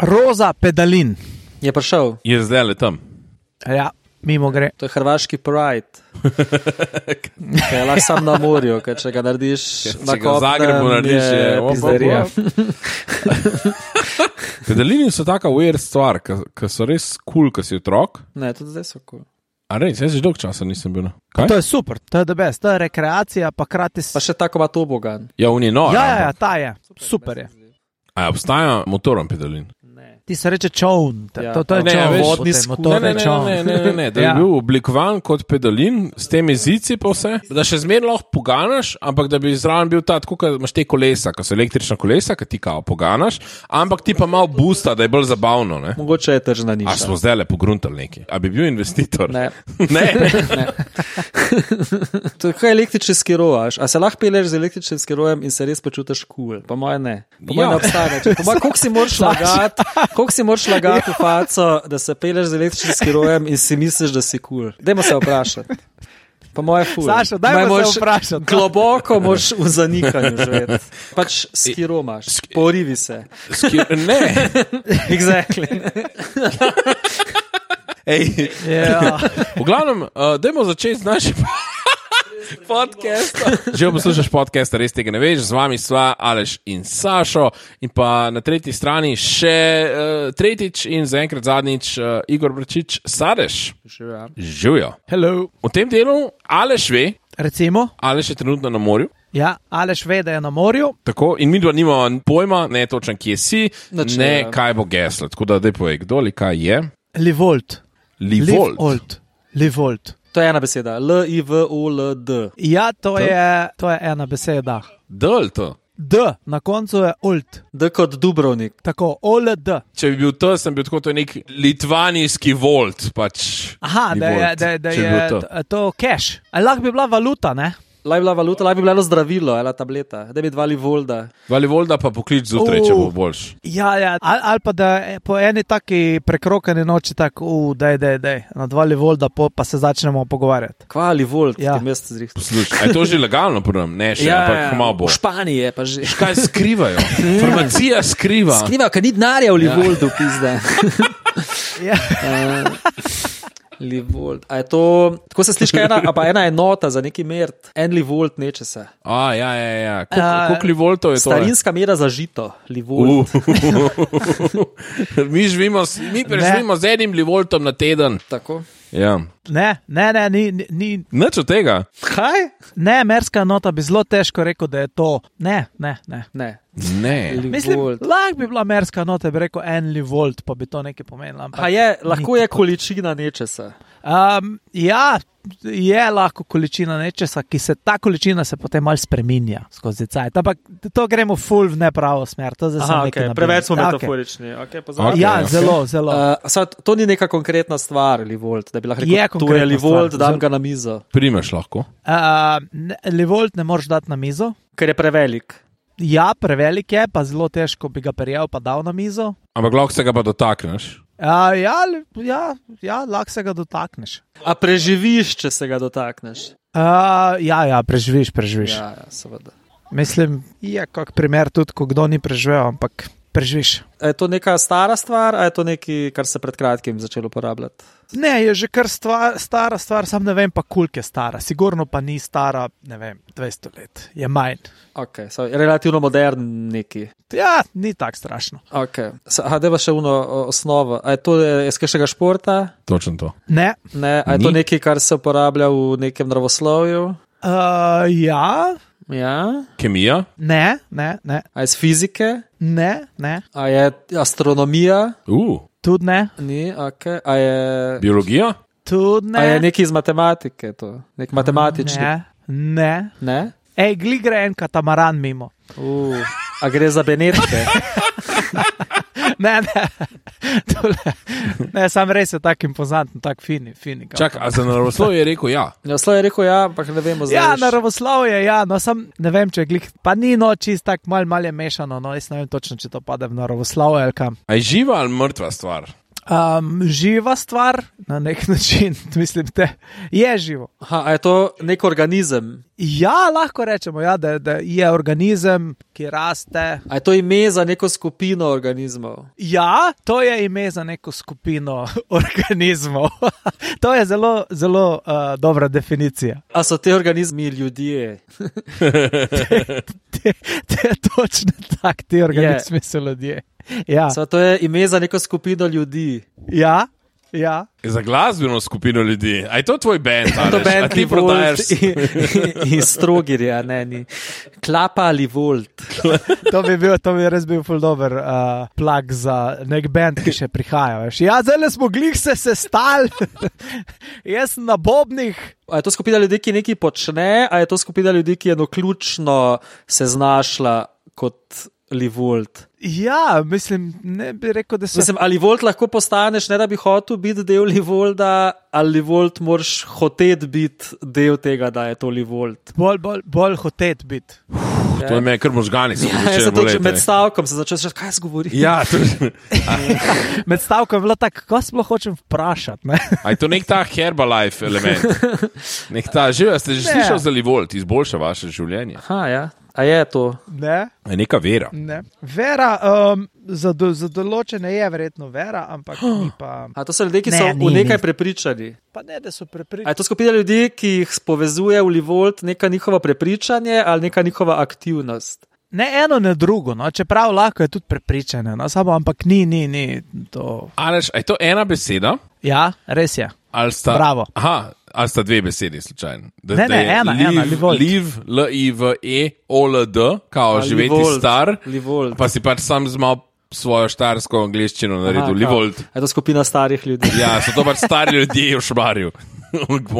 Roza Pedalin. Je prišel. Je zdaj le tam. Ja, mimo gre. To je hrvaški Pride. Kaj lahko sam na morju, ker če ga narediš na Če ga v Zagrebu narediš, je pizderija. Pedalini so taka weird stvar, ki so res cool, ko si otrok. Ne, tudi zdaj so cool. A res, jaz že dolgo časa nisem bil. Kaj? To je super, to je the best, to je rekreacija, pa krati Pa še tako ima tobogan. Ja, on je nor. Ja, ta je, super je. A obstaja motorom pedalin? Ti se reče čovn, Ja. to je Ne, čovn, veš, vodni motor je čovn. Ne, da je Ja. bil oblikovan kot pedalin s temi zici pa vse, da še zmeraj lahko poganaš, ampak da bi zraven bil ta, tako kot imaš te kolesa, ko so električna kolesa, ki ti kao poganaš, ampak ti pa malo boosta, da je bolj zabavno. Ne? Mogoče je tržna A niša. smo zdaj le pogruntali neki. A bi bil investitor? Ne. Ne. To je kaj električni skirovaš. A se lahko peleš z električnim skirojem in se res počutiš cool? Po moje ne. Po moje Ja. ne obstaja. Po moje, koliko si moraš lagati v faco, da se peleš z električnim skirojem in si misliš, da si cool? Dajmo se vprašati. Po moje ful. Sašo, dajmo se vprašati. Globoko moraš v zanikanju živeti. Pač skiro imaš, porivi se. Ne. Exactly. Ej, Ja. v glavnem, dajmo začeti z našim podcastom. Že poslušaš podcast, res tega ne veš, z vami sva Aleš in Sašo in pa na tretji strani še tretjič in zaenkrat zadnjič Igor Bračič Sadeš. Živijo. Hello. V tem delu Aleš ve, Recimo, Aleš je trenutno na morju. ja, Aleš ve, da je na morju. Tako, in mi dva nimamo pojma, ne točno kje si, Nič ne ne vem. kaj bo geslo. Tako da daj povej, kdo ali kaj je. Livolt. Livolt. Livolt. To je ena beseda. L-I-V-O-L-D. Ja, to je ena beseda. Dol to. D, na koncu je old. D kot Dubrovnik. Tako, OLD. Če bi bil to, sem bil tako, to je nek litvanijski volt. Pač, Aha, da Livolt, je če bi bil to cash. Ali lahko bi bila valuta, ne? Laj bila valuta, laj bi bilo zdravilo, ela tableta. Da bi dva Livolda. Vali volda pa poklič zjutraj, če bo boljš. Ja, ali pa da po eni taki prekrokani noči tako, daj, na 2 Livolda pa se začnemo pogovarjati. Kva Livold, Ja. ki mesto zrihta. Poslušaj, a je to že legalno prvem? Ne še, ampak malo bo. V Španiji je pa že. Kaj skrivajo? Farmacija skriva. Skriva, ker ni denarja v Livoldu, pizda. Ja. Livold. A je to, tako se sliši, ena enota za neki merd. En Livold neče se. A, ja. Koliko livoltov je to? Starinska mera za žito. Livold. Mi preživimo z enim livoltom na teden. Tako. Ja. Ne, ni. Nič od tega. Kaj? Ne, merska nota bi zelo težko rekel, da je to. Ne. Ne. Ne. Mislim, Livold. lahko bi bila merska nota, bi rekel 1 Livolt, pa bi to nekaj pomenilo. ampak A je, lahko ni je tako. količina nečesa. Ja, je lahko količina nečesa, ta količina se potem malo spreminja skozi cajt. Ampak to gremo full v nepravo smer. To zdaj sem Aha, nekaj okay. nabil. Preveč smo Ja, metaforični. Okay, Okay. Ja, Okay. zelo. To ni neka konkretna stvar, Livold, da bi lahko Je rekel, to je konkretna Livold, stvar. dam ga na mizo, Primeš lahko. Livolt ne moreš dati na mizo. ker je prevelik. Ja, prevelik je, pa zelo težko bi ga prijel pa dal na mizo. Ampak lahko se ga pa dotakneš. Ja, lahko se ga dotakneš. A preživiš, če se ga dotakneš? Ja, preživiš. Ja, seveda. Mislim, je kak primer tudi, ko kdo ni preživel, ampak preživiš. A je to neka stara stvar, a je to nekaj, kar se pred kratkim začelo uporabljati? Ne, je že kar stara stvar, sam ne vem pa koliko je stara. Sigurno pa ni stara, ne vem, 200 let. Je manj. Ok, je relativno modern neki. Ja, ni tako strašno. Ok, deva še osnovo. A je to iz kakšnega športa? Točno to. Ne. Ne, a je to Ni. nekaj, kar se uporablja v nekem naravoslovju? Ja, Ja. Kemija? ne. A je iz fizike? Ne. A je astronomija? Tudi ne. Ni, ok. A je... Biologija? Tudi ne. A je nekaj iz matematike, to? Nek matematični? Ne. Ne? Ej, gli gre en katamaran mimo. A gre za Benetke? Ne. Ne, sam res je tak impozanten, tak fini. Čak, a za naravoslovje je rekel ja. Naslov je rekel ja, ampak ne vemo zdaj. Ja, več. naravoslovje, ja, no sam ne vem, če je glih, pa ni no čist tak mal je mešano, no jaz ne vem točno, če to pade v naravoslovje ali kam. A je živa ali mrtva stvar? Živa stvar, na nek način, mislim, je živo. Aha, a je to nek organizem? Ja, lahko rečemo, ja, da je organizem, ki raste. A je to ime za neko skupino organizmov? Ja, to je ime za neko skupino organizmov. To je zelo, zelo dobra definicija. A so te organizmi ljudje? Točno tak, ti organizmi so ljudje. Ja. To je ime za neko skupino ljudi. Ja. Za glasbeno skupino ljudi. A je to tvoj band? To band, ti prodajaš? Iz Strogirja, ne. Klapa ali Volt. To bi res bil ful dober plug za nek band, ki še prihaja. Veš. Ja, zdaj smo glih se sestali. Jaz sem na bobnih. A je to skupina ljudi, ki nekaj počne, a je to skupina ljudi, ki je naključno se znašla kot Livolt? Ja, mislim, ne bi rekel, da se... Mislim, ali Livolt lahko postaneš, ne da bi hotel biti del Livolda, ali Livolt moraš hoteti biti del tega, da je to Livolt. Bolj hoteti biti. To je me kar možgani. Med stavkom se začel reči, kaj zgovori. Ja, med stavkom je bilo tako, kako sploh hočem vprašati. Ne? A je to nek ta Herbalife element? Ste že slišali za Livolt, izboljša vaše življenje? Aha, ja. A je to? Ne. Je neka vera. Ne. Vera, za določene je verjetno vera, ampak ni pa... A to so ljudje, ki so v nekaj prepričani? Pa ne, da so prepričani. A je to skupina ljudi, ki jih povezuje v Livolt neka njihova prepričanje ali neka njihova aktivnost? Ne eno, ne drugo, no. Čeprav lahko je tudi prepričane, no. Samo, ampak ni to... Aleš, a je to ena beseda? Ja, res je. Bravo. Aha, ali sta dve besedi slučajno? Ena, Livolt. Liv, L-I-V-E-O-L-D, kao živeti star, Livolt. Pa si pač sam zmal svojo štarsko angliščino naredil, Livolt. Je to skupina starih ljudi? Ja, so to pač stari ljudje v Šmarju.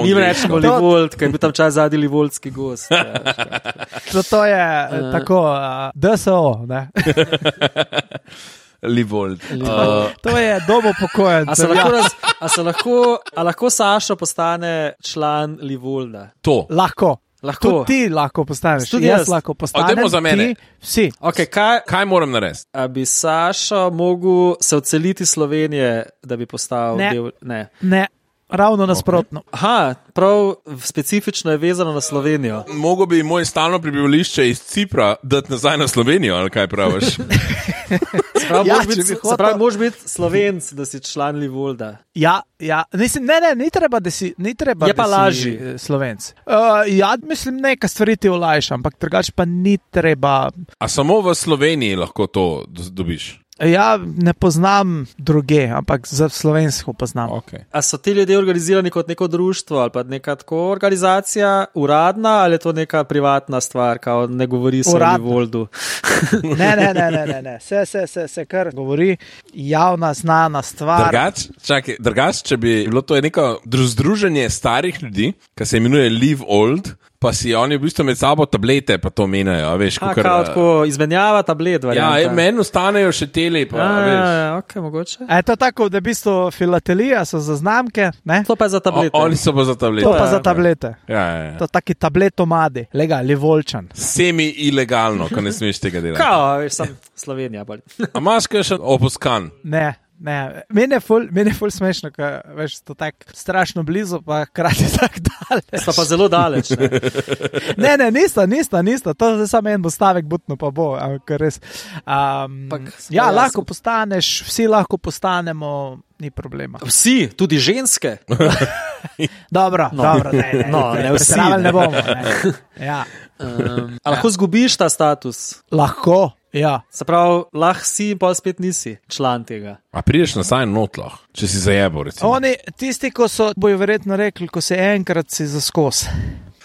Mi rečemo Livolt, kaj je bil tam čas zadnji livoltski gost. To je tako, DSO, ne? Livolt. To je dom upokojencev. A lahko Sašo postane član Livolda? To. Lahko. Tudi ti lahko postaneš. Tudi jaz lahko postanem. Odemo za mene. Vsi. Okay, kaj moram narediti? A bi Sašo mogel se odseliti iz Slovenije, da bi postal del... Ne. Ravno nasprotno. Aha, prav specifično je vezano na Slovenijo. Mogo bi moj stalno prebivališče iz Cipra dati nazaj na Slovenijo, ali kaj praviš? Se pravi, moraš biti Slovenc, da si član Livolda. Ja. Ni treba, da si je pa lažji Slovenc. Ja, mislim, nekaj stvari ti olajša, ampak drugače pa ni treba. A samo v Sloveniji lahko to dobiš? Ja, ne poznam druge, ampak za slovensko poznam. Okay. A so ti ljudje organizirani kot neko društvo ali pa neka tako organizacija uradna ali je to neka privatna stvar, kao ne govori se o Livoldu? Ne. Se kar govori, javna, znana stvar. Drugač, če bi bilo to neko združenje starih ljudi, ki se imenuje Live Old, pa si oni v bistvu med sabo tablete pa to menjajo, veš. Tako izmenjava tablet, varianta. Ja, meni ostanejo še tele, pa veš. Ja, ok, mogoče. A je to tako, da v bistvu filatelija so za znamke, ne? To pa je za tablete. Oni so pa za tablete. To pa za tablete. Ja. To taki tabletomadi, Livolčan. Semi-ilegalno, ko ne smeš tega delati. Kao, veš, sem Slovenija. A imaš kaj še opuskan? Ne. Meni je ful smešno, ker veš, to tako strašno blizu, pa krati tako daleč. Sta pa zelo daleč, ne? Ne, nista. To je samo en bo stavek butno, pa bo. Res, ja, lahko postaneš, vsi lahko postanemo, ni problema. Vsi, tudi ženske? Dobro, ne vsi. Ne bomo, ne. Ja. A lahko zgubiš ta status? Lahko. Ja. Se pravi, lahko si in pa spet nisi član tega. A prideš nazaj notlah, če si zajebo, recimo. Oni, tisti, ko so, bojo verjetno rekli, ko se enkrat si zaskos.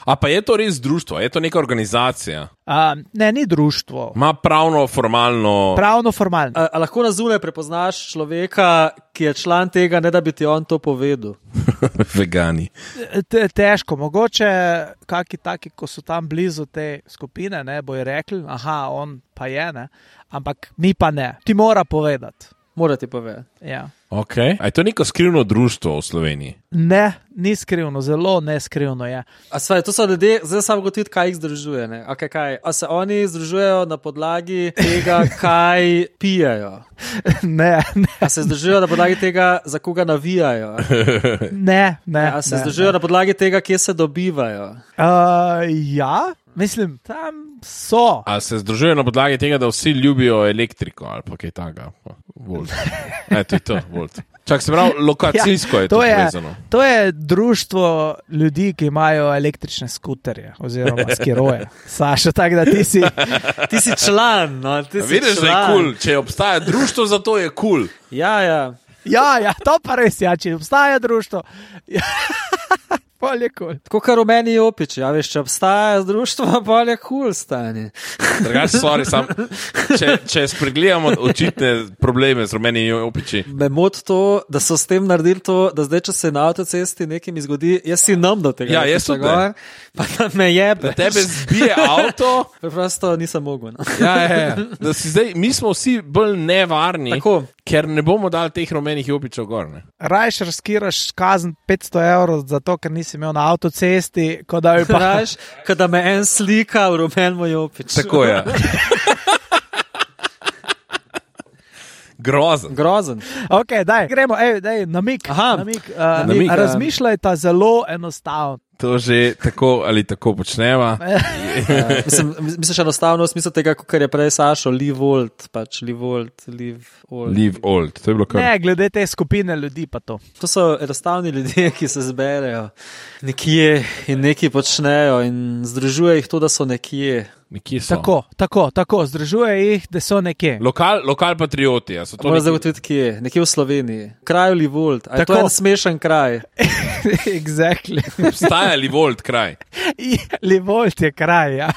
A pa je to res društvo, je to neka organizacija? Ne, ni društvo. Ma pravno, formalno. A lahko na zunaj prepoznaš človeka, ki je član tega, ne da bi ti on to povedal? Vegani. Težko, mogoče kaki taki, ko so tam blizu te skupine, ne, bojo rekli, aha, on pa je, ne, ampak mi pa ne. Ti mora povedati. Mora ti povedati. Ja. Okay. A je to neko skrivno društvo v Sloveniji? Ne, ni skrivno, zelo neskrivno je. A svaj, to so ljudje, zdaj samo gotoviti, kaj jih združuje. Ne? Okay, kaj? A se oni združujejo na podlagi tega, kaj pijejo? Ne. A se združujejo na podlagi tega, za koga navijajo? Ne. A se združujejo na podlagi tega, kje se dobivajo? Ja, mislim, tam so. A se združujejo na podlagi tega, da vsi ljubijo elektriko ali pa kaj takega? Volt. To je to, Volt. Čak se pravi, lokacijsko je to povezano. To je društvo ljudi, ki imajo električne skuterje oziroma skiroje. Saša, tako da ti si član. No, vidiš, da je cool. Če obstaja društvo, za to je cool. Ja. Ja, to pa res, ja, če obstaja društvo. Polje kul. Tako kar v meni Jopič, ja, veš, če obstaja društvo, polje kul stane. Drugače, če spregledamo očitne probleme z rumenimi Jopiči. Me moti to, da so s tem naredili to, da zdaj, če se na avtocesti nekim izgodi, jaz si nam do tega. Ja, jaz tudi. Pa da me jebe. Da tebe zbije avto. Preprosto nisem mogel. No. Ja. Da si zdaj, mi smo vsi bolj nevarni. Tako. Ker ne bomo dali teh rumenih Jopičev gor. Rajš riskiraš kazen 500 evrov za to, ker nisi imel na avtocesti, kot da bi pa... Rajš, kot da me en slika v rumenemu Jopič. Tako je. Grozen. Ok, daj, gremo, namik. Namik. Razmišljajta zelo enostavno. To že tako ali tako počneva. Misliš enostavno v smislu tega, kar je prej Sašo, leave old. Leave old, to je bilo kar. Ne, glede te skupine ljudi pa to. To so enostavni ljudje, ki se zberejo nekje in nekaj počnejo in združuje jih to, da so nekje. Nekje so. Tako, združuje jih, da so nekje. Lokal patrioti. Moram zagotoviti, kje? Nekje v Sloveniji. Kraj Livold. A je to en smešen kraj? Exactly. Obstaja Livold kraj. Livold je kraj, ja.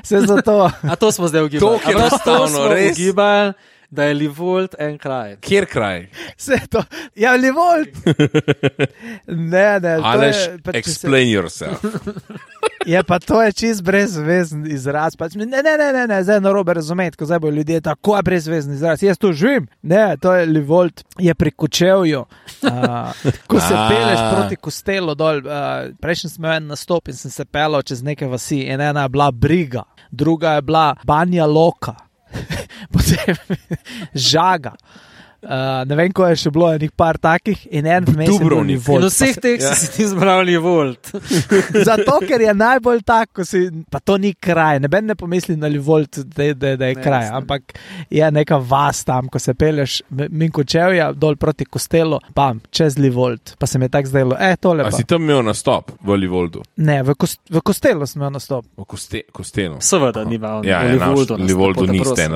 Vse zato. A to smo zdaj ugibali. To je enostavno, res. Ugibali, da je Livold en kraj. Kjer kraj? Vse to. Ja, Livold. Ne. Aleš, explain yourself. Je pa to je čist brezvezen izraz. Ne, zdaj narobe razumeti, ko zdaj bojo ljudje tako brezvezen izraz. Jaz tu živim. Ne, to je Livold, je pri Kočevju. Ko se peleš proti Kostelu dol, prejšnji smo en nastop in sem se pelal čez neke vasi in ena je bila Briga, druga je bila Banja Loka, potem Žaga. Ne vem, ko je še bilo enih par takih in en vmes je bil Livold. In vseh teh si ti izbral Livold. Zato, ker je najbolj tako, pa to ni kraj, neben ne pomisli na Livold, da je kraj, ampak je neka vas tam, ko se peleš min Kočevja dol proti Kostelu, čez Livold, pa se mi je tako zdelo, tole pa. A si tam imel nastop v Livoldu? Ne, v Kostelu sem imel nastop. V Kostelu? Seveda ni imel v Livoldu niste.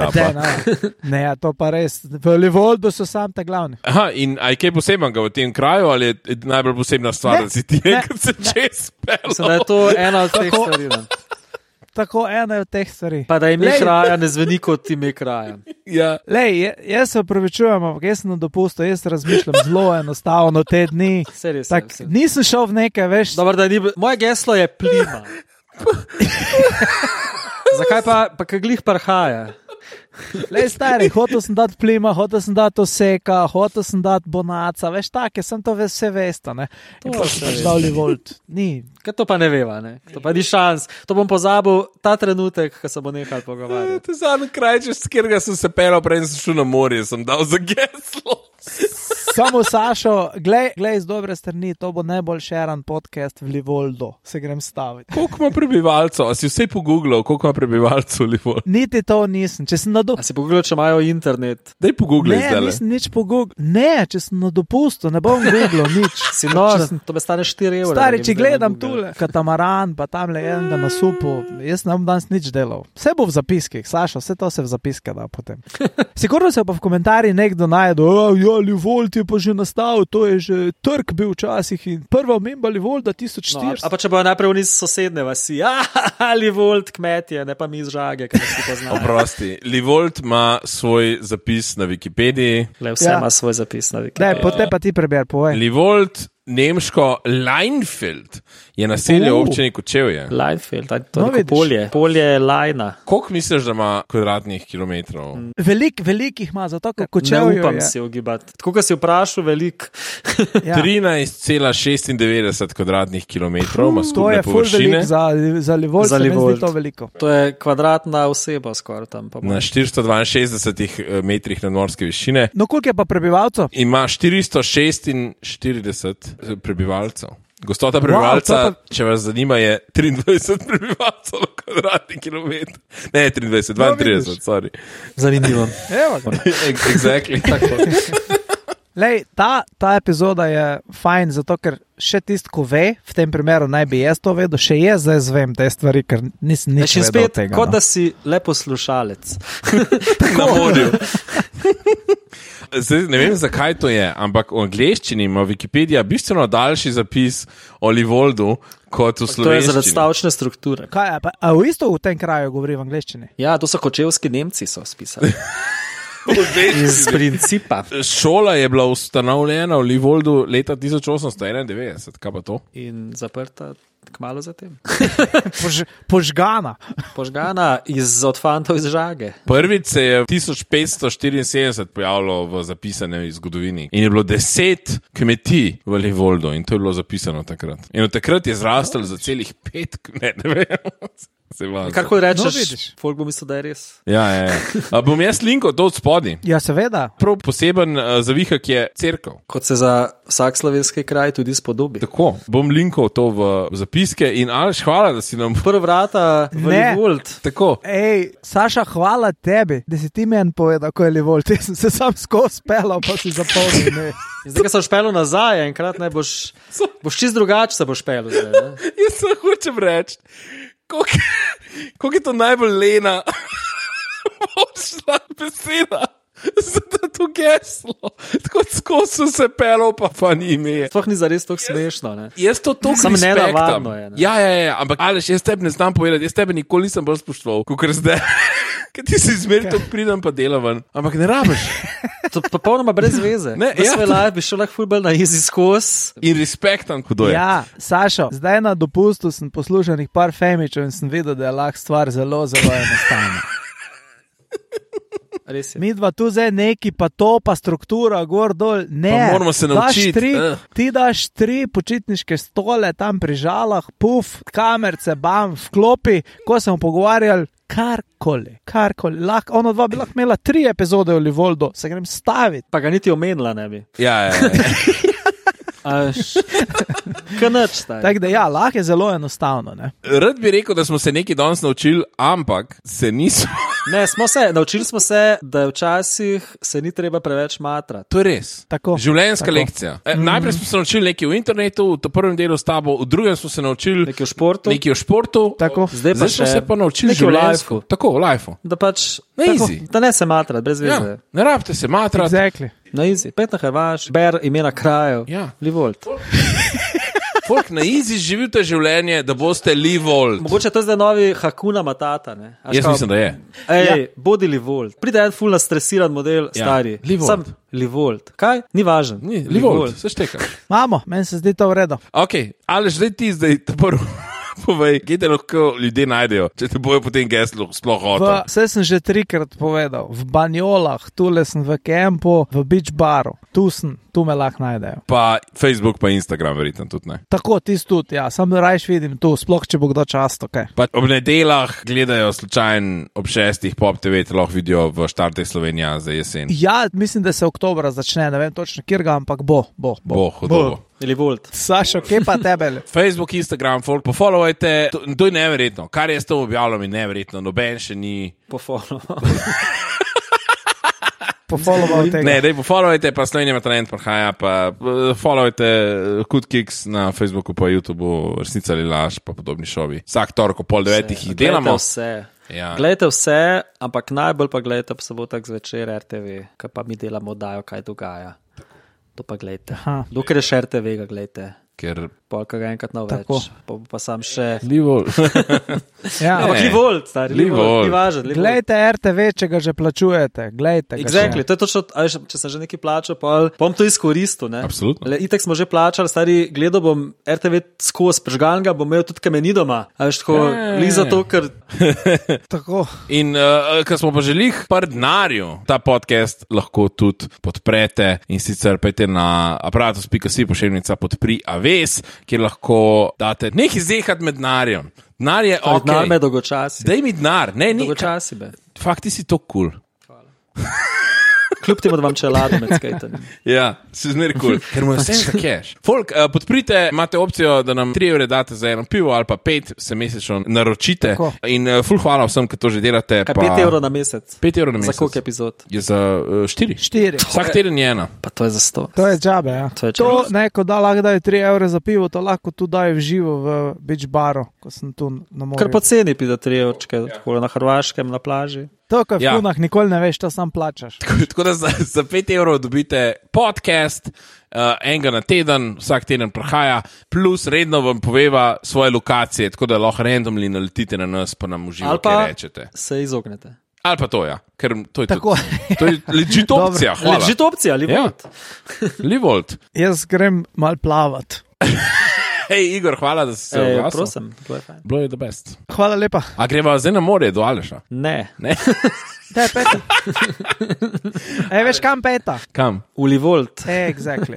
Ne, to pa res, v Livoldu so sam ta glavni. Aha, in aj kaj posebnega v tem kraju, ali je najbolj posebna stvar, da si ti enkrat se čez pelal? Mislim, da je to ena od teh stvari. Tako, ena od teh stvari. Pa da ime kraja ne zveni kot ime kraja. Ja. Lej, jaz se opravičujem, ampak jaz sem na dopustu, jaz razmišljam zelo enostavno te dni. Nisem šel v nekaj, veš. Dobar, moje geslo je plima. Zakaj pa kaj glih parhaja? Lej, stari, hotel sem dati plima, hotel sem dati oseka, hotel sem dati bonaca, veš, take, sem to vse vesta, ne. To še dal Livold. Ni. Kaj to pa ne veva, ne? To pa ni šans. To bom pozabil ta trenutek, ko se bo nehal pogovarjati. To je zadnji kraj, čez katerega sem se pelal, prej sem šel na morje, sem dal za geslo. Samo Sašo, glej z dobre strani, to bo najbolj šeran podcast v Livoldu. Se grem staviti. Koliko ima prebivalcev? A si vse pogooglal, koliko ima prebivalcev v Livoldu? Niti to nisem. A si pogooglal, če imajo internet? Daj pogooglaj zdaj. Ne, nisem nič pogooglal. Ne, če sem na dopustu, ne bom googlal nič. Si nor, to me stane 4 evra. Stari, če gledam tule, katamaran, pa tam le enega na supu, jaz ne bom danes nič delal. Vse bo v zapiskih, Saša, vse to se v zapiske da potem. Sigurno se pa v komentarjih nekdo najde, Livold je pa že nastal, to je že trg bil včasih in prva omemba Livolda 1400. A pa če bo najprej v niz sosedne vasi, Livold kmetje, ne pa mi iz Žage, ki nas poznajo. Oprosti, Livold ima svoj zapis na Wikipediji. Vse ima svoj zapis na Wikipediji. Potem pa ti preber, povej. Livold nemško Leinfeld je naselje v občini Kočevje. Leinfeld, to No, je vidiš. polje. Polje Lajna. Koliko misliš, da ima kvadratnih kilometrov? Velikih ima, zato ker Ne Kočevje upam je. si ogibati. Tako, kot si vprašal, velik. Ja. 13,96 kvadratnih kilometrov ima To skupne je ful površine. velik za Livold, Za se mi zdi Livold. to veliko. To je kvadratna oseba skoraj tam. Pa Na 462 metrih nadmorske višine No, koliko je pa prebivalcev? ima 446 prebivalcev. Gostota prebivalca, Wow, to če vas zanima, je 23 prebivalcev na kvadratni kilometr. Ne, 23, 32, vidiš. sorry. Zanimivo. Evo ga. Exactly. Lej, ta epizoda je fajn, zato ker še tisto, ko ve, v tem primeru naj bi jaz to vedel, še jaz zdaj zvem te stvari, ker nisem nič Še vedel spet, od tega. kot no. da si le poslušalec. Na morju. Zdaj, ne vem, zakaj to je, ampak v angleščini ima Wikipedija bistveno daljši zapis o Livoldu kot v To je slovenščini. zaradi stavčne strukture. Kaj, a v isto v tem kraju govori v angleščini? Ja, to so kočevski Nemci so spisali. V angleščini. Iz principa. Šola je bila ustanovljena v Livoldu leta 1891, kaj pa to? In zaprta kmalo zatem. Požgana. Požgana od fantov iz žage. Prvič se je 1574 pojavilo v zapisanem zgodovini in je bilo 10 kmetij v Livoldu in to je bilo zapisano takrat. In od takrat je zrastel za celih 5, ne vem. Kar ko rečeš, No, vidiš. folk bo mislil, da je res. Ja. A bom jaz linkal to od spodaj. Ja, seveda. Prav poseben zavihak je cerkev. Kot se za vsak slovenski kraj tudi spodobi. Tako, bom linkal to v zapiske in Aleš, hvala, da si nam Prva vrata v Ne. Livold. tako. Ej, Saša, hvala tebi, da si ti meni povedal, ko je Livold. Jaz sem se sam skozi pelal, pa si zapomnil. Ne. Zdaj, ko sem špelo nazaj, enkrat ne boš čist drugače se boš špelo. Zdaj, ne? Jaz se hočem reči, koliko je to najbolj lena močna beseda za to geslo. Tako skozi sem se pelal, pa ni ime. Sploh ni zares tako smešno. Ne? Jaz to toliko Samo respektam. nenavadno je, ne. Ja, ampak Aleš, jaz tebi ne znam povedati, jaz tebe nikoli nisem bolj spoštoval, kot zdaj. Ker ti si zmeraj to pridem pa delavan, ampak ne rabiš. To je popolnoma brez veze. Ne, Ves ja. svoj life bi šel lahko ful bolj na easy skozi. In respektam, kdo je. Ja, Sašo, zdaj na dopustu sem poslušal nekaj par femičev in sem videl, da je lahko stvar zelo, zelo enostavna. Res je. Mi dva tu zdaj neki, pa to, pa struktura, gor dol. Ne, Pa moramo se naučiti, Ti daš 3 počitniške stole tam pri žalah, puf, kamerce, bam, vklopi, ko smo pogovarjali. Karkoli. Lahko, ono dva bi lahko imela 3 epizode v Livoldu, se grem staviti. Pa ga niti omenila ne bi. Ja. Kanač staj. Tako da ja, lahko je zelo enostavno. Ne? Rad bi rekel, da smo se nekaj danes naučili, ampak se nismo. Ne, naučili smo se, da včasih se ni treba preveč matrati. To je res. Tako. Življenjska Tako. lekcija. Najprej smo se naučili nekaj v internetu, v prvem delu s tabo, v drugem smo se naučili Nekaj v športu. nekaj o športu. Tako. Zdaj pa smo še se pa naučili nekaj v življenjsko. lifeu. Tako, v lifeu. Da pač Na tako, easy. da ne se matrati, brez veze. Ja, ne rabite se matrati. Exactly. Na easy. Pet na Hrvaš, ber imena krajev. Ja. Livold. Folk na easy živite življenje, da boste Livold. Mogoče to je zdaj novi Hakuna Matata. Ne? A Jaz škao- mislim, da je. Ej, bodi Livold. Pride en full nastresiran model, Ja, stari. Livold. Sam Livold. Kaj? Ni važen. Ni, Livold, se šteka. Mamo, meni se zdi to v redu. Ok, ali zdaj ti zdaj prvo povej, kje te lahko ljudje najdejo, če te bojo potem geslo sploh hotel. Vse sem že 3-krat povedal. V Banjolah, tule sem v kempu, v beach baru. Tu me lahko najdejo. Pa Facebook, pa Instagram, verjetno tudi ne. Tako, tisti tudi, ja. Sam rajš vidim tu, sploh če bo kdo často, kaj. Pa ob nedeljah gledajo slučajno ob 6 Pop TV, te lahko vidijo v Štarte Slovenija za jesen. Ja, mislim, da se oktobra začne, ne vem točno, kjer ga, ampak bo. Bo, hudo bo. Livold. Sašo, kje pa tebe? Facebook, Instagram, folk, pofollowajte, to je neverjetno. Kar jaz to objavljam, je neverjetno, noben še ni. Pofolo. Pofollował tega. Ne, dej pofollowajte, pa Slovenija ima talent, prihaja, pa followajte Good Kicks na Facebooku, pa YouTubeu, Resnica ali laž, pa podobni šovi. Vsak torek ob 8:30 jih delamo. Vse. Ja. Glejte vse, ampak najbolj pa gledajte ob sobotak zvečer RTV, kaj pa mi delamo, dajo, kaj dogaja. To pa gledajte. Aha. Dokler je še RTV, ga gledajte. ker Polka ga enkrat na Tako. več, pa sam še. Livol. Ja. Ampak Livolt, stari, Livolt. ni važen. Livolt. Glejte RTV, če ga že plačujete. Glejte ga Exactly, še. to je točno, a veš, če sem že nekaj plačal, pa bom to izkoristil, ne? Absolutno. Itek smo že plačali, stari, gledal bom RTV skozi prežgan ga, bom imel tudi kameni doma, a veš, tako, li zato, ker Tako. In ker smo pa želeli par denarju, ta podcast lahko tudi podprete in sicer pejte na aparatus.si pošiljnica podpri aves, kjer lahko date nekaj zehat med denarjem. Denar je ok. denar me dolgočasi. Daj mi denar, ne, Dolgočasi be. Fakt, ti si to kul. Kljub temu, da vam čelado med skejtanjem. Ja, si zmeri kul, ker mu je vse za cash. Folk, podprite, imate opcijo, da nam 3 evre date za eno pivo ali pa 5 se mesečno naročite. Tako. In ful hvala vsem, ki to že delate. Kaj 5 evrov na mesec? 5 evrov na mesec. Za koliko epizod? Je za 4. 4. Vsak teden je ena. Pa to je za 100. To je džabe, ja. To je To, čas. ne, ko da lahko dajo 3 evre za pivo, to lahko tu dajo v živo v beach baru, ko sem tu na morju. Kar poceni pide 3 evčke, tako na Hrvaškem, na plaži. To, ko v Ja. kunah nikoli ne veš, to sam plačaš. Tako da za 5 evrov dobite podcast, enega na teden, vsak teden prihaja, plus redno vam poveva svoje lokacije, tako da lahko randomly naletite na nas, pa nam uživo Ali kaj pa rečete. se izognete. Ali pa to, ja, ker to je Tako. tudi. To je legit opcija, hvala. Legit opcija, ali Ja. Livolt? Livolt. Jaz grem mal plavat. Hej, Igor, hvala, da si se oglasil. Prosim, to je fajn. Bilo je the best. Hvala lepa. A greva zdaj na morje do Aleša? Ne, Ne? Te peta. Veš kam peta? Kam? v Livolt. Exactly.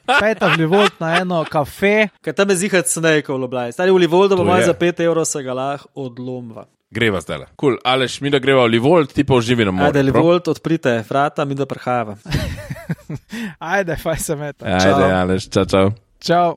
Peta v Livolt na eno kafe. Kaj tam je zihat snejko v Ljubljani. Stari v Livoltu bo To manj je. za 5 evrov se ga lahko odlomva. Greva zdaj. Cool. Aleš, mi da greva v Livolt, ti pa uživi na morju. Ajde, Livolt, odprite vrata, mi da prehajava. Ajde, faj se meta. Ajde, Aleš, čau, čau. Čau.